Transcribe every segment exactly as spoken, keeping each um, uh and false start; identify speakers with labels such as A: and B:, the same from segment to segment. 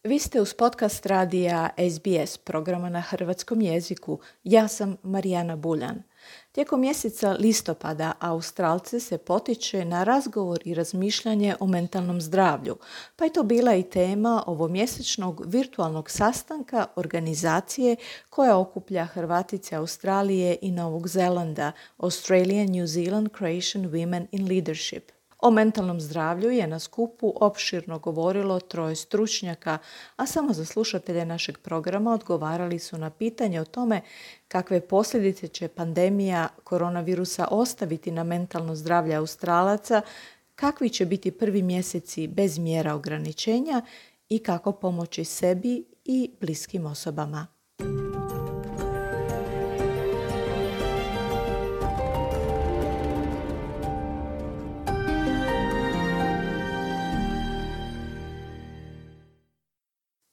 A: Vi ste uz podcast radija S B S programa na hrvatskom jeziku. Ja sam Marijana Buljan. Tijekom mjeseca listopada Australce se potiče na razgovor i razmišljanje o mentalnom zdravlju, pa je to bila i tema ovomjesečnog virtualnog sastanka organizacije koja okuplja Hrvatice Australije i Novog Zelanda, Australian New Zealand Croatian Women in Leadership. O mentalnom zdravlju je na skupu opširno govorilo troje stručnjaka, a samo za slušatelje našeg programa odgovarali su na pitanje o tome kakve posljedice će pandemija koronavirusa ostaviti na mentalno zdravlje Australaca, kakvi će biti prvi mjeseci bez mjera ograničenja i kako pomoći sebi i bliskim osobama.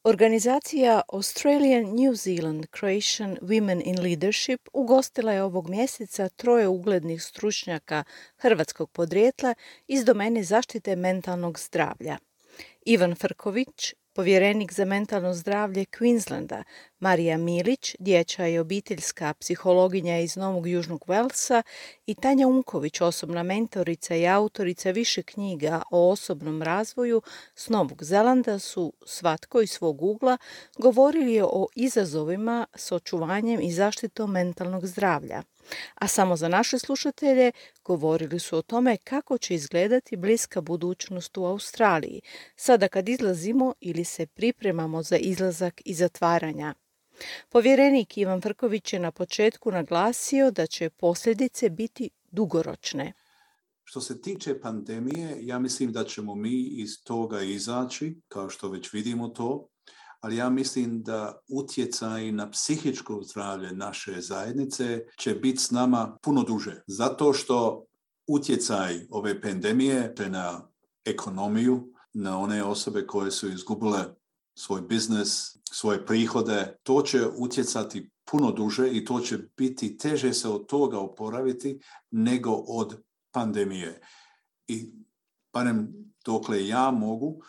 A: Organizacija Australian New Zealand Croatian Women in Leadership ugostila je ovog mjeseca troje uglednih stručnjaka hrvatskog podrijetla iz domene zaštite mentalnog zdravlja. Ivan Frković, povjerenik za mentalno zdravlje Queenslanda, Marija Milić, dječja i obiteljska psihologinja iz Novog Južnog Walesa i Tanja Unković, osobna mentorica i autorica više knjiga o osobnom razvoju s Novog Zelanda, su svatko iz svog ugla govorili o izazovima s očuvanjem i zaštitom mentalnog zdravlja. A samo za naše slušatelje govorili su o tome kako će izgledati bliska budućnost u Australiji, sada kad izlazimo ili se pripremamo za izlazak i zatvaranja. Povjerenik Ivan Frković je na početku naglasio da će posljedice biti dugoročne.
B: Što se tiče pandemije, ja mislim da ćemo mi iz toga izaći, kao što već vidimo to, ali ja mislim da utjecaj na psihičko zdravlje naše zajednice će biti s nama puno duže. Zato što utjecaj ove pandemije na ekonomiju, na one osobe koje su izgubile svoj biznis, svoje prihode, to će utjecati puno duže i to će biti teže se od toga oporaviti nego od pandemije. I barem dokle ja mogu, uh,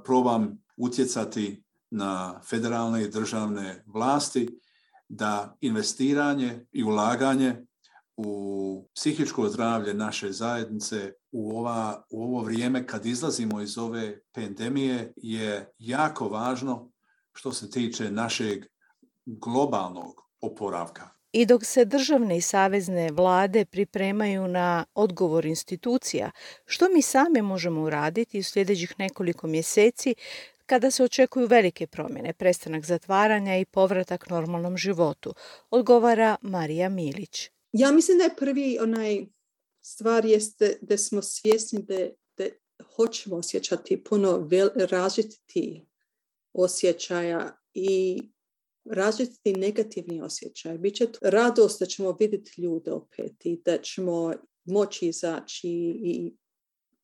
B: probam utjecati na federalne i državne vlasti da investiranje i ulaganje u psihičko zdravlje naše zajednice u, ova, u ovo vrijeme kad izlazimo iz ove pandemije je jako važno što se tiče našeg globalnog oporavka.
A: I dok se državne i savezne vlade pripremaju na odgovor institucija, što mi sami možemo uraditi u sljedećih nekoliko mjeseci kada se očekuju velike promjene, prestanak zatvaranja i povratak normalnom životu, odgovara Marija Milić.
C: Ja mislim da je prvi onaj stvar jeste da smo svjesni da, da hoćemo osjećati puno vel, različitih osjećaja i različiti negativni osjećaj. Biće radost da ćemo vidjeti ljude opet i da ćemo moći izaći i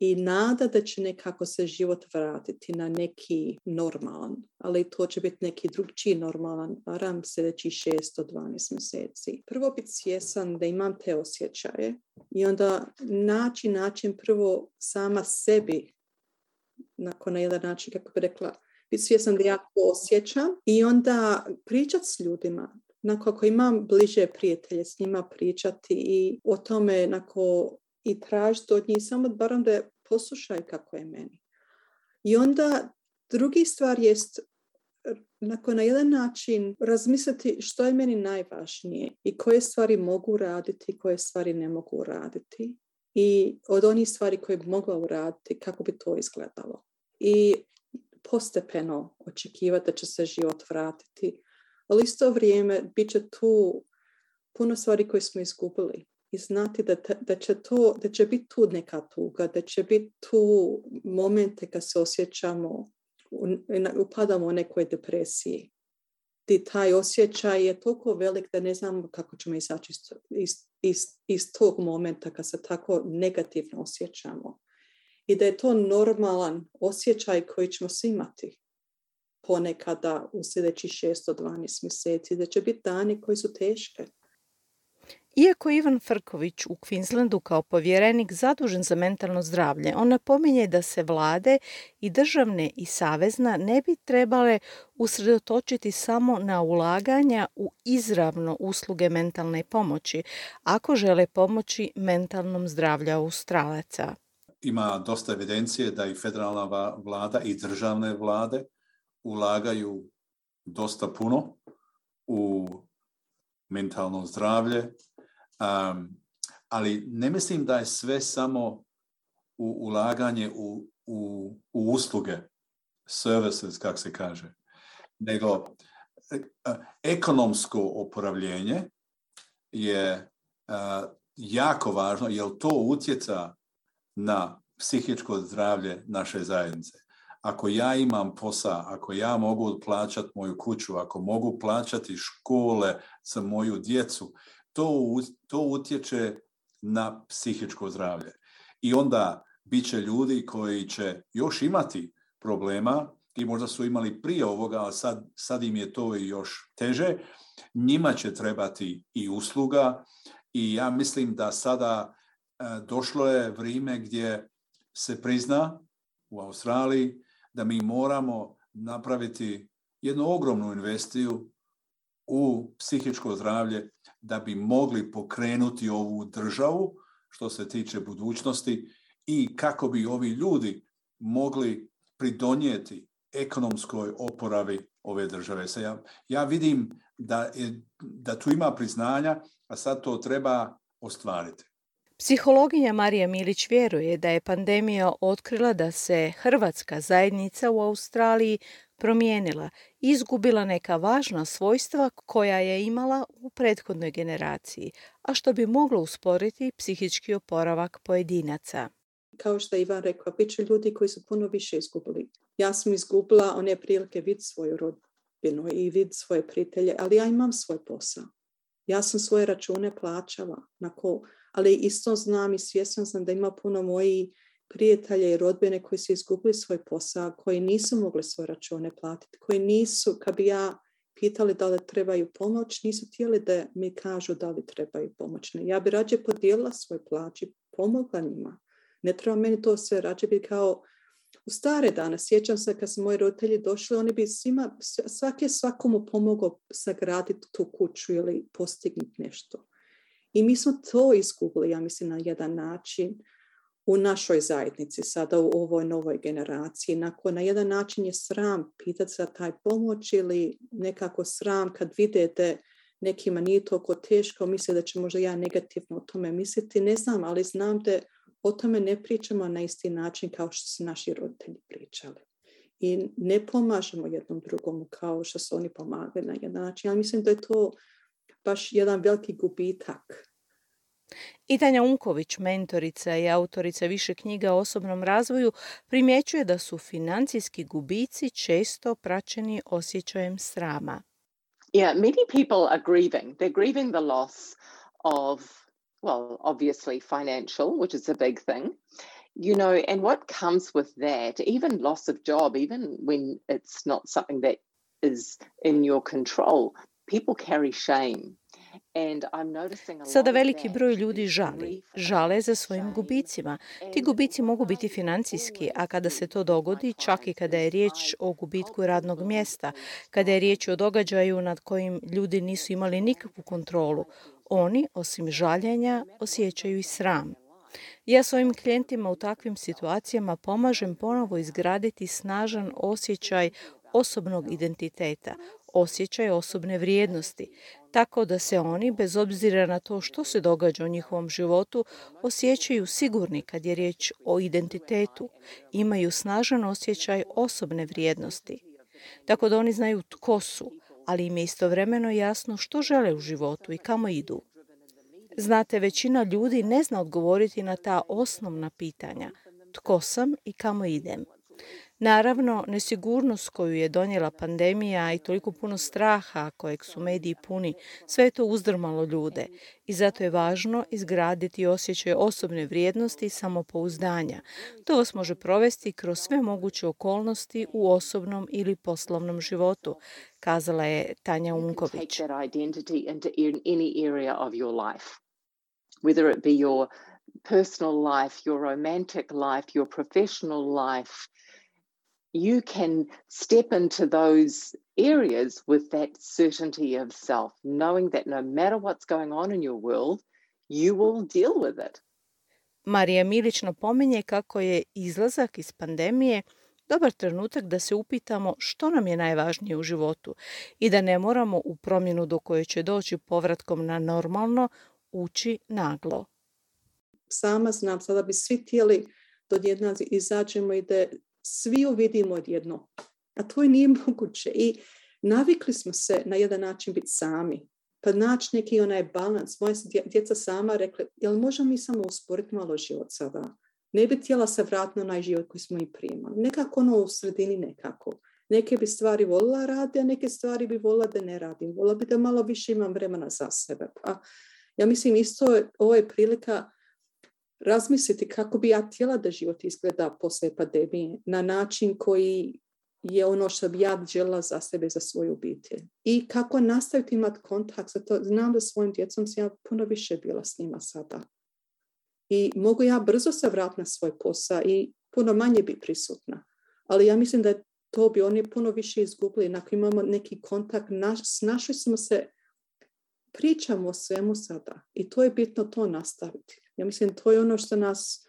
C: I nada da će nekako se život vratiti na neki normalan, ali to će biti neki drugčiji normalan, barem sljedećih šest do dvanaest mjeseci. Prvo biti svjesan da imam te osjećaje i onda naći način prvo sama sebi, nakon na jedan način, kako bi rekla, biti svjesan da ja to osjećam i onda pričati s ljudima. Nakon ako imam bliže prijatelje, s njima pričati i o tome nakon i tražiti od njih samo barem da poslušaju kako je meni. I onda drugi stvar jest nakon na jedan način razmisliti što je meni najvažnije i koje stvari mogu raditi, koje stvari ne mogu raditi i od onih stvari koje bi mogla uraditi kako bi to izgledalo. I postepeno očekivati da će se život vratiti, ali isto vrijeme bit će tu puno stvari koje smo izgubili. I znati da, da, će to, da će biti tu neka tuga, da će biti tu momente kad se osjećamo, upadamo u nekoj depresiji. I taj osjećaj je toliko velik da ne znamo kako ćemo izaći iz, iz, iz, iz tog momenta kad se tako negativno osjećamo. I da je to normalan osjećaj koji ćemo svi imati ponekada u sljedećih šest do dvanaest mjeseci. Da će biti dani koji su teške.
A: Iako je Ivan Frković u Queenslandu kao povjerenik zadužen za mentalno zdravlje, on napominje da se vlade i državne i savezna ne bi trebale usredotočiti samo na ulaganja u izravno usluge mentalne pomoći, ako žele pomoći mentalnom zdravlju Australaca.
B: Ima dosta evidencije da i federalna vlada i državne vlade ulagaju dosta puno u mentalno zdravlje, um, ali ne mislim da je sve samo u ulaganje u, u, u usluge, services, kako se kaže, nego uh, ekonomsko oporavljenje je uh, jako važno, jer to utjeca na psihičko zdravlje naše zajednice. Ako ja imam posao, ako ja mogu plaćati moju kuću, ako mogu plaćati škole za moju djecu, to, to utječe na psihičko zdravlje. I onda bit će ljudi koji će još imati problema i možda su imali prije ovoga, ali sad, sad im je to još teže. Njima će trebati i usluga i ja mislim da sada došlo je vrijeme gdje se prizna u Australiji da mi moramo napraviti jednu ogromnu investiciju u psihičko zdravlje da bi mogli pokrenuti ovu državu što se tiče budućnosti i kako bi ovi ljudi mogli pridonijeti ekonomskoj oporavi ove države. Ja, ja vidim da, je, da tu ima priznanja, a sad to treba ostvariti.
A: Psihologinja Marija Milić vjeruje da je pandemija otkrila da se hrvatska zajednica u Australiji promijenila i izgubila neka važna svojstva koja je imala u prethodnoj generaciji, a što bi moglo usporiti psihički oporavak pojedinaca.
C: Kao što je Ivan rekao, bit će ljudi koji su puno više izgubili. Ja sam izgubila one prilike vid svoju rodbinu i vid svoje prijatelje, ali ja imam svoj posao. Ja sam svoje račune plaćala, nako, ali isto znam i svjesna sam da ima puno mojih prijatelja i rodbine koji su izgubili svoj posao, koji nisu mogli svoje račune platiti, koji nisu, kad bi ja pitali da li trebaju pomoć, nisu htjeli da mi kažu da li trebaju pomoć. Ja bi rađe podijelila svoj plać i pomogla njima. Ne treba meni to sve, rađe bi kao u stare dane. Sjećam se kad su moji roditelji došli, oni bi svima, svaki je svakomu pomogao sagraditi tu kuću ili postignuti nešto. I mi smo to izgubili, ja mislim, na jedan način u našoj zajednici, sada u ovoj novoj generaciji. Nakon, na jedan način je sram pitati za taj pomoć ili nekako sram kad vidite nekima nije toliko teško, misle da će možda ja negativno o tome misliti. Ne znam, ali znam da o tome ne pričamo na isti način kao što su naši roditelji pričali. I ne pomažemo jednom drugom kao što su oni pomagali na jedan način. Ja mislim da je to baš jedan veliki gubitak.
A: I Tanja Unković, mentorica i autorica više knjiga o osobnom razvoju, primjećuje da su financijski gubici često praćeni osjećajem srama.
D: Yeah, many people are grieving. They're grieving the loss of, well, obviously financial, which is a big thing. You know, and what comes with that, even loss of job, even when it's not something that is in your control, people carry shame.
A: Sada veliki broj ljudi žali. Žale za svojim gubicima. Ti gubici mogu biti financijski, a kada se to dogodi, čak i kada je riječ o gubitku radnog mjesta, kada je riječ o događaju nad kojim ljudi nisu imali nikakvu kontrolu, oni, osim žaljenja, osjećaju i sram. Ja svojim klijentima u takvim situacijama pomažem ponovo izgraditi snažan osjećaj osobnog identiteta, osjećaj osobne vrijednosti, tako da se oni, bez obzira na to što se događa u njihovom životu, osjećaju sigurni kad je riječ o identitetu, imaju snažan osjećaj osobne vrijednosti. Tako da oni znaju tko su, ali im je istovremeno jasno što žele u životu i kamo idu. Znate, većina ljudi ne zna odgovoriti na ta osnovna pitanja. Tko sam i kamo idem? Naravno, nesigurnost koju je donijela pandemija i toliko puno straha kojeg su mediji puni, sve je to uzdrmalo ljude i zato je važno izgraditi osjećaj osobne vrijednosti i samopouzdanja. To vas može provesti kroz sve moguće okolnosti u osobnom ili poslovnom životu, kazala je Tanja Unković.
D: whether it be your personal life, your romantic life, your professional life, you can step into those areas with that certainty of self, knowing that no matter what's going on in your world, you will deal with it.
A: Marija Milić napominje kako je izlazak iz pandemije dobar trenutak da se upitamo što nam je najvažnije u životu i da ne moramo u promjenu do koje će doći povratkom na normalno ući naglo.
C: Sama znam, sada bi svi htjeli da odjednom izađemo i da svi uvidimo odjedno. A to nije moguće. I navikli smo se na jedan način biti sami. Pa naći neki onaj balans. Moja djeca sama rekla, jel možemo mi samo usporiti malo život sada? Ne bi htjela se vratiti na onaj život koji smo i primali. Nekako ono u sredini nekako. Neke bi stvari volila raditi, a neke stvari bi volila da ne radim. Volila bi da malo više imam vremena za sebe. Pa ja mislim isto ovo je prilika razmisliti kako bi ja htjela da život izgleda poslije pandemije na način koji je ono što bi ja željela za sebe, za svoju obitelj. I kako nastaviti imati kontakt. Zato znam da svojim djecom sam ja puno više bila s njima sada. I mogu ja brzo se vratiti na svoj posao i puno manje biti prisutna. Ali ja mislim da to bi oni puno više izgubili. Ako imamo neki kontakt, naš, snašli smo se, pričamo o svemu sada. I to je bitno to nastaviti. Ja mislim to je ono što nas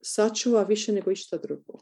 C: sačuva više nego išta drugo.